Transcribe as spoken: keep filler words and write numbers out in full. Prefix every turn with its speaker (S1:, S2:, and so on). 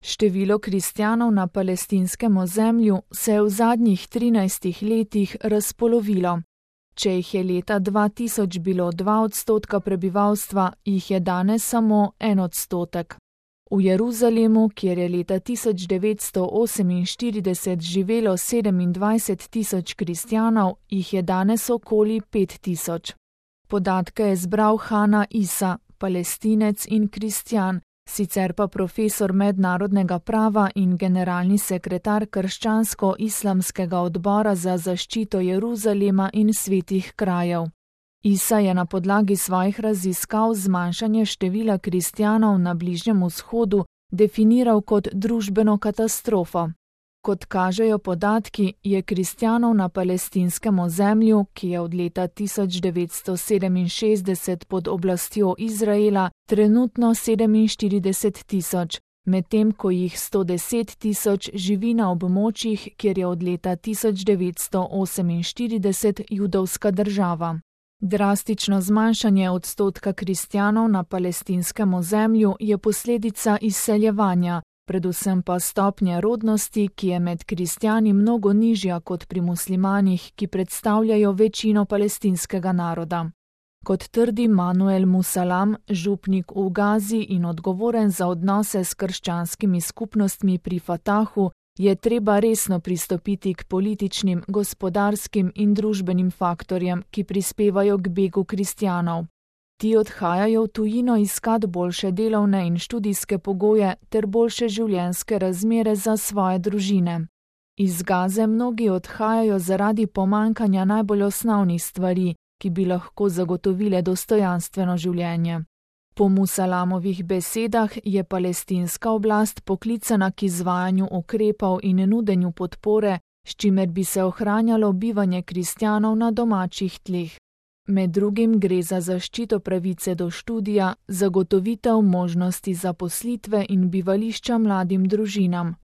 S1: Število kristjanov na palestinskem ozemlju se je v zadnjih trinajstih letih razpolovilo. Če jih je leta dva tisoč bilo dva odstotka prebivalstva, jih je danes samo en odstotek. V Jeruzalemu, kjer je leta tisoč devetsto oseminštirideset živelo sedemindvajset tisoč kristjanov, jih je danes okoli pet tisoč. Podatke je zbral Hana Isa, Palestinec in kristjan, sicer pa profesor mednarodnega prava in generalni sekretar Krščansko-islamskega odbora za zaščito Jeruzalema in svetih krajev. Isa je na podlagi svojih raziskav zmanjšanje števila kristjanov na Bližnjem vzhodu definiral kot družbeno katastrofo. Kot kažejo podatki, je kristjanov na palestinskem ozemlju, ki je od leta tisoč devetsto sedeminšestdeset pod oblastjo Izraela, trenutno sedeminštirideset tisoč, medtem ko jih sto deset tisoč živi na območjih, kjer je od leta tisoč devetsto oseminštirideset judovska država. Drastično zmanjšanje odstotka kristjanov na palestinskem ozemlju je posledica izseljevanja, predvsem pa stopnje rodnosti, ki je med kristjani mnogo nižja kot pri muslimanih, ki predstavljajo večino palestinskega naroda. Kot trdi Manuel Musalam, župnik v Gazi in odgovoren za odnose s krščanskimi skupnostmi pri Fatahu, je treba resno pristopiti k političnim, gospodarskim in družbenim faktorjem, ki prispevajo k begu kristjanov. Ti odhajajo v tujino iskat boljše delovne in študijske pogoje ter boljše življenjske razmere za svoje družine. Iz Gaze mnogi odhajajo zaradi pomanjkanja najbolj osnovnih stvari, ki bi lahko zagotovile dostojanstveno življenje. Po Musalamovih besedah je palestinska oblast poklicana k izvajanju ukrepov in nudenju podpore, s čimer bi se ohranjalo bivanje kristjanov na domačih tleh. Med drugim gre za zaščito pravice do študija, zagotovitev možnosti zaposlitve in bivališča mladim družinam,